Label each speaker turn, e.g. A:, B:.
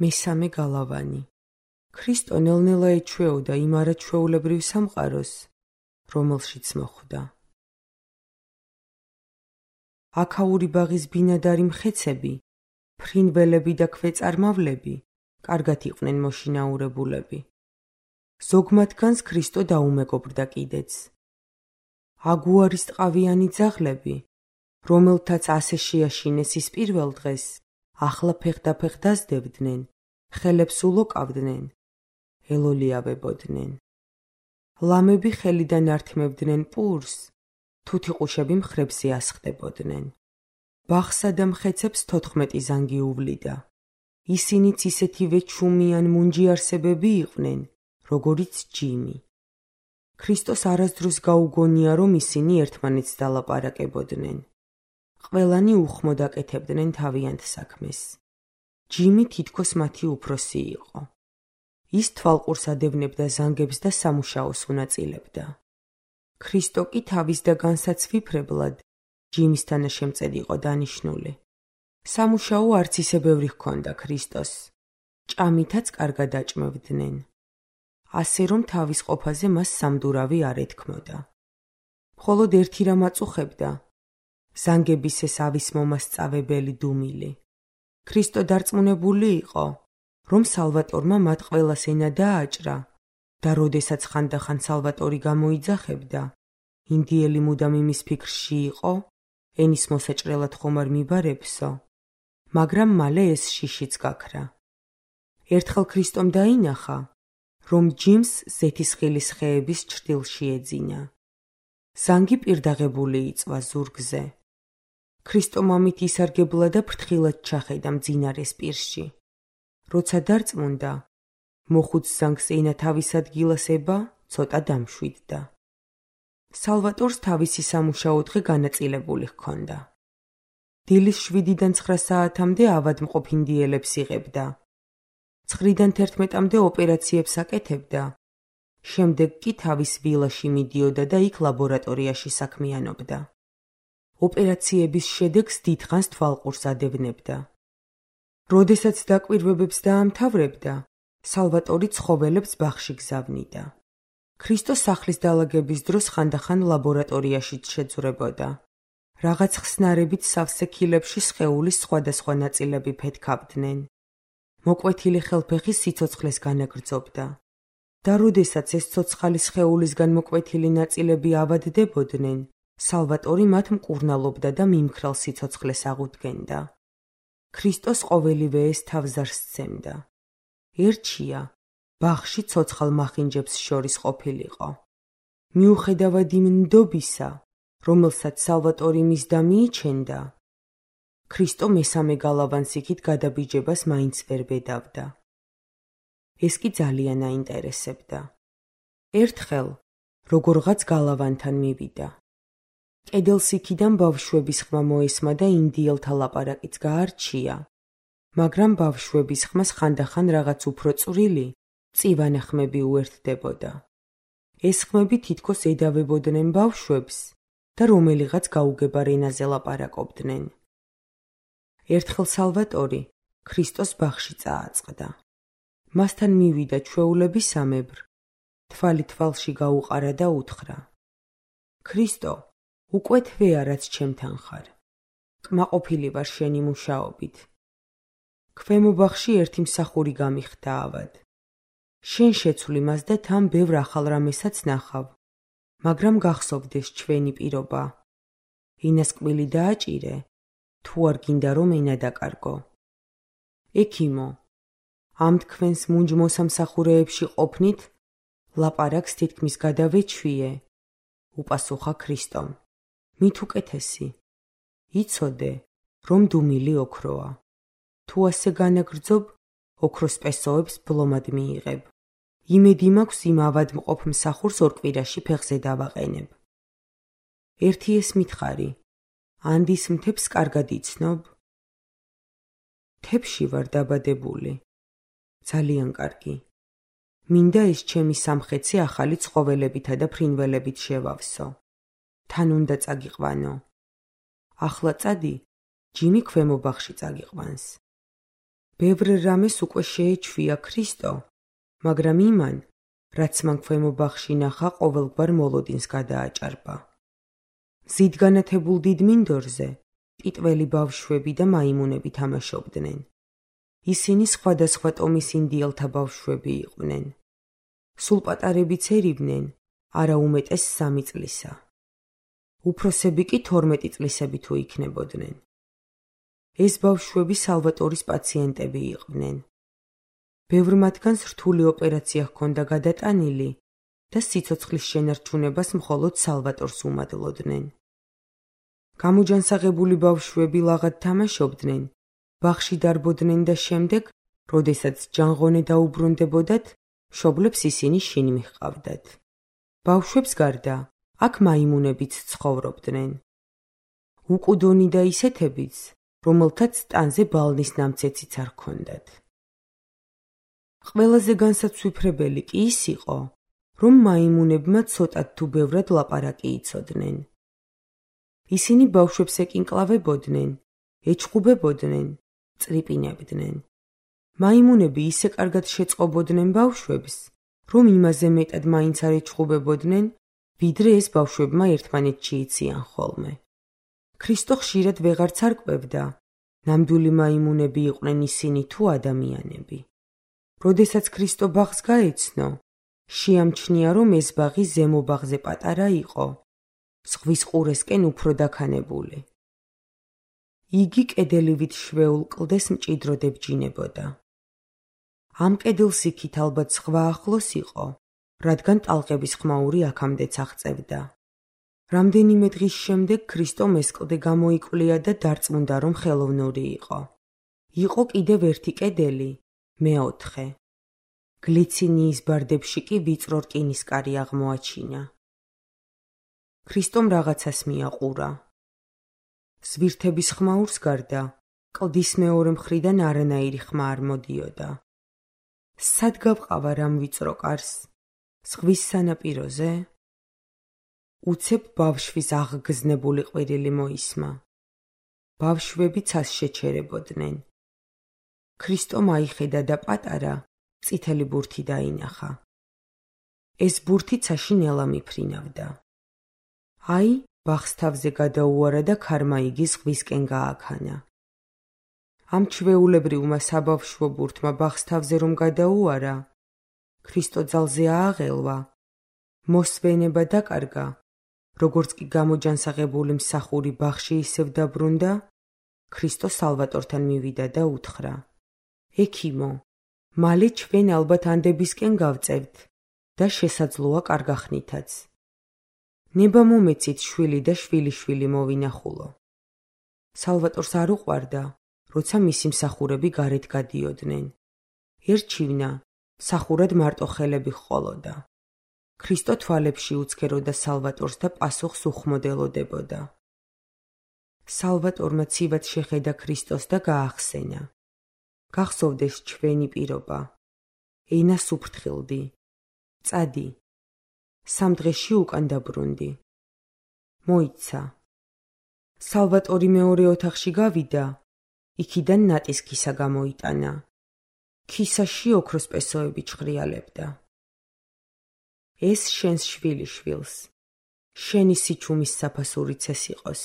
A: მესამე გალავანი. ქრისტო ნელ-ნელა ეჩვეოდა იმ არაჩვეულებრივ სამყაროს, რომელშიც მოხვდა. აქაური ბაღის ბინადარი მხეცები, ფრინველები და ქვეწარმავლები კარგად იყვნენ მოშინაურებულები. ზოგ მათგანს ქრისტო დაუმეგობრდა კიდეც. აგუარის ტყავიანი ძაღლები, რომელთაც ასე შეაშინეს ის პირველ დღეს, ახლა ფეხდაფეხ დაზდებდნენ, ხელებს ულოკავდნენ, ელოლიავებოდნენ. ლამები ხელიდან ართმევდნენ პურს, თუთიყუშები მხრებზე ასხდებოდნენ. ბაღსა და მხეცებს 14 ზანგი უვლიდა. ისინიც ისეთივე ჩუმიან მუნჯიარსებები იყვნენ, როგორიც ჯიმი. ქრისტოს არასდროს გაუგონია, რომ ისინი ერთმანეთს დალაპარაკებოდნენ. ყველანი უხმოდ აკეთებდნენ თავიანთ საქმეს. ჯიმი თითქოს მათი უფროსი იყო. ის თვალყურს ადევნებდა ზანგებს და სამუშაოს უნაწილებდა. ქრისტო კი თავის და განსაცვიფრებლად ჯიმის თანაშემწედ იყო დანიშნული. სამუშაო არც ისე ბევრი ჰქონდა ქრისტოს. ჭამითაც კარგად აჭმევდნენ. ასე რომ თავის ყოფაზე მას სამდურავი არ ეთქმოდა. მხოლოდ ერთი რამ აწუხებდა, ზანგების ეს ავის მომასწავებელი დუმილი. ქრისტო დარწმუნებული იყო, რომ სალვატორმა მათ ყველას ენა დააჭრა და როდესაც ხანდახან სალვატორი გამოიძახებდა, ინდიელი მუდამ იმის ფიქრში იყო, ენის მოსაჭრელად ხომ არ მიბარებსო, მაგრამ მალე ეს შიშიც გაქრა. ერთხელ ქრისტომ დაინახა, რომ ჯიმს ზეთისხილის ხეების ჩრდილში ეძინა. ზანგი პირდაღებული იწვა ზურგზე. ქრისტომ ამით ისარგებლა და ფრთხილად ჩახედა მძინარეს პირში. როცა დარწმუნდა, მოხუც ზანგს ენა თავის ადგილას ება, ცოტა დამშვიდდა. სალვატორს თავისი სამუშაო დღე განაწილებული ჰქონდა. დილის 7-დან 9 საათამდე ავადმყოფ ინდიელებს იღებდა. 9-დან 11-მდე ოპერაციებს აკეთებდა. შემდეგ კი თავის ვილაში მიდიოდა და იქ ლაბორატორიაში საქმიანობდა. ოპერაციების შედეგს დიდხანს თვალყურს ადევნებდა. როდესაც დაკვირვებებს დაამთავრებდა, სალვატორი ცხოველებს ბაღში გზავნიდა. ქრისტო სახლის დალაგების დროს ხანდახან ლაბორატორიაშიც შეძვრებოდა. რაღაც ხსნარებით სავსე ქილებში სხეულის სხვადასხვა ნაწილები ფეთქავდნენ. მოკვეთილი ხელფეხი სიცოცხლეს განაგრძობდა. და როდესაც ეს ცოცხალი სხეულისგან მოკვეთილი ნაწილები ავადდებოდნენ, სალვატორი მათ მკურნალობდა და მიმქრალ სიცოცხლეს აღუდგენდა. ქრისტოს ყოველივე ეს თავზარს სცემდა. ერჩია, ბაღში ცოცხალ მახინჯებს შორის ყოფილიყო. მიუხედავად იმ ნდობისა, რომელსაც სალვატორი მისდა მიიჩენდა, ქრისტო მესამე გალავანს იქით გადაბიჯებას მაინც ვერ ბედავდა. ეს კი ძალიან აინტერესებდა. ერთხელ, როგორღაც გალავანთან მივიდა. კედელს იქიდან ბავშვების ხმა მოესმა და ინდიელთა ლაპარაკიც გაარჩია, მაგრამ ბავშვების ხმას ხანდახან რაღაც უფრო წვრილი, წივანა ხმები უერთდებოდა. ეს ხმები თითქოს ედავებოდნენ ბავშვებს და რომელიღაც გაუგებარ ენაზე ლაპარაკობდნენ. ერთხელ სალვატორი ქრისტოს ბაღში წააწყდა. მასთან მივიდა ჩვეულებისამებრ, თვალი თვალში გაუყარა და უთხრა: ქრისტო, უკვე თვეა რაც ჩემთან ხარ. კმაყოფილი ვარ შენი მუშაობით. ქვემო ბაღში ერთი მსახური გამიხდა ავად. შენ შეცვლი მას და თან ბევრ ახალ რამესაც ნახავ, მაგრამ გახსოვდეს ჩვენი პირობა. ენას კბილი დააჭირე, თუ არ გინდა რომ ენა დაკარგო. ექიმო, ამ თქვენს მუნჯ მოსამსახურეებში ყოფნით, ლაპარაკს თითქმის გადავეჩვიე, უპასუხა ქრისტომ. მით უკეთესი. იცოდე, რომ დუმილი ოქროა. თუ ასე განაგრძობ, ოქროს პესოებს ბლომად მიიღებ. იმედი მაქვს იმ ავადმყოფ მსახურს 2 კვირაში ფეხზე დავაყენებ. ერთი ეს მითხარი, ანდის მთებს კარგად იცნობ? მთებში ვარ დაბადებული. ძალიან კარგი. მინდა ეს ჩემი სამხეცი ახალი ცხოველებითა და ფრინველებით შევავსო. თან უნდა წაგიყვანო. ახლა წადი, ჯიმი ქვემო ბაღში წაგიყვანს. ბევრ რამეს უკვე შეეჩვია ქრისტო, მაგრამ იმან, რაც მან ქვემო ბაღში ნახა, ყოველგვარ მოლოდინს გადააჭარბა. მზით განათებულ დიდ მინდორზე ტიტველი ბავშვები და მაიმუნები თამაშობდნენ. ისინი სხვადასხვა ტომის ინდიელთა ბავშვები იყვნენ. სულ პატარებიც ერიბნენ, არა უმეტეს 3 წლისა. უფროსები კი 12 წლისები თუ იქნებოდნენ. ეს ბავშვები სალვატორის პაციენტები იყვნენ. ბევრ მათგანს რთული ოპერაცია ჰქონდა გადატანილი და სიცოცხლის შენარჩუნებას მხოლოდ სალვატორს უმადლოდნენ. გამოჯანსაღებული ბავშვები ლაღად თამაშობდნენ, ბაღში დარბოდნენ და შემდეგ, როდესაც ჯანღონე დაუბრუნდებოდათ, მშობლებს ისინი შინ მიჰყავდათ. ბავშვებს გარდა, აქ მაიმუნებიც ცხოვრობდნენ. უკუდონი და ისეთებიც, რომელთაც ტანზე ბალნის ნამცეციც არ ჰქონდათ. ყველაზე განსაცვიფრებელი კი ის იყო, რომ მაიმუნებმა ცოტად თუ ბევრად ლაპარაკი იცოდნენ. ისინი ბავშვებს ეკინკლავებოდნენ, ეჩხუბებოდნენ, წრიპინებდნენ. მაიმუნები ისე კარგად შეწყობოდნენ ბავშვებს, რომ იმაზე მეტად მაინც არ ეჩხუბებოდნენ, ვიდრე ეს ბავშვებმა ერთმანეთში იციან ხოლმე. ქრისტო ხშირად ვეღარც არ კვებდა, ნამდვილი მაიმუნები იყვნენ ისინი თუ ადამიანები. როდესაც ქრისტო ბაღს გაეცნო, შეამჩნია, რომ ეს ბაღი ზემო ბაღზე პატარა იყო, ზღვის ყურესკენ უფრო დაქანებული. იგი კედელივით შვეულ კლდეს მჭიდროდ ებჯინებოდა. ამ კედელს იქით ალბათ ზღვა ახლოს იყო, რადგან ტალღების ხმაური აქამდეც აღწევდა. რამდენიმე დღის შემდეგ ქრისტომ ეს კლდე გამოიკვლია და დარწმუნდა, რომ ხელოვნური იყო. იყო კიდევ ერთი კედელი, მეოთხე. გლიცინიის ბარდებში კი ვიწრო რკინისკარი აღმოაჩინა. ქრისტომ რაღაცას მიაყურა. ზვირთების ხმაურს გარდა, კლდის მეორე მხრიდან არანაირი ხმა არ მოდიოდა. სად გავყავარ ამ ვიწრო კარს? ზღვის სანაპიროზე? უცებ ბავშვის აღგზნებული ყვირილი მოისმა. ბავშვები ცას შეჩერებოდნენ. ქრისტომ აიხედა და პატარა, წითელი ბურთი დაინახა. ეს ბურთი ცაში ნელა მიფრინავდა. აი, ბაღს თავზე გადაუარა და ქარმა იგი ზღვისკენ გააქანა. ამ ჩვეულებრივმა საბავშვო ბურთმა ბაღს თავზე რომ გადაუარა, ქრისტო ძალზე ააღელვა, მოსვენება დაკარგა, როგორც კი გამოჯანსაღებული მსახური ბაღში ისევ დაბრუნდა, ქრისტო სალვატორთან მივიდა და უთხრა: ექიმო, მალე ჩვენ ალბათ ანდებისკენ გავწევთ და შესაძლოა კარგახნითაც. ნება მომეცით შვილი და შვილიშვილი მოვინახულო. სალვატორს არ უყვარდა, როცა მისი მსახურები გარეთ გადიოდნენ. ერჩივნა, მსახურად მარტო ხელები ჰყოლოდა. ქრისტო თვალებში უცქეროდა სალვატორს და პასუხს უხმოდელოდებოდა. სალვატორმა ცივად შეხედა ქრისტოს და გაახსენა: გახსოვდეს ჩვენი პირობა. ენას უფრთხილდი. წადი. 3 დღეში უკან დაბრუნდი. მოიცა. სალვატორი მეორე ოთახში გავიდა, იქიდან ნატის ქისა გამოიტანა. ქისაში ოქროს პესოები ჩხრიალებდა. ეს შენს შვილიშვილს, შენი სიჩუმის საფასურიც ეს იყოს.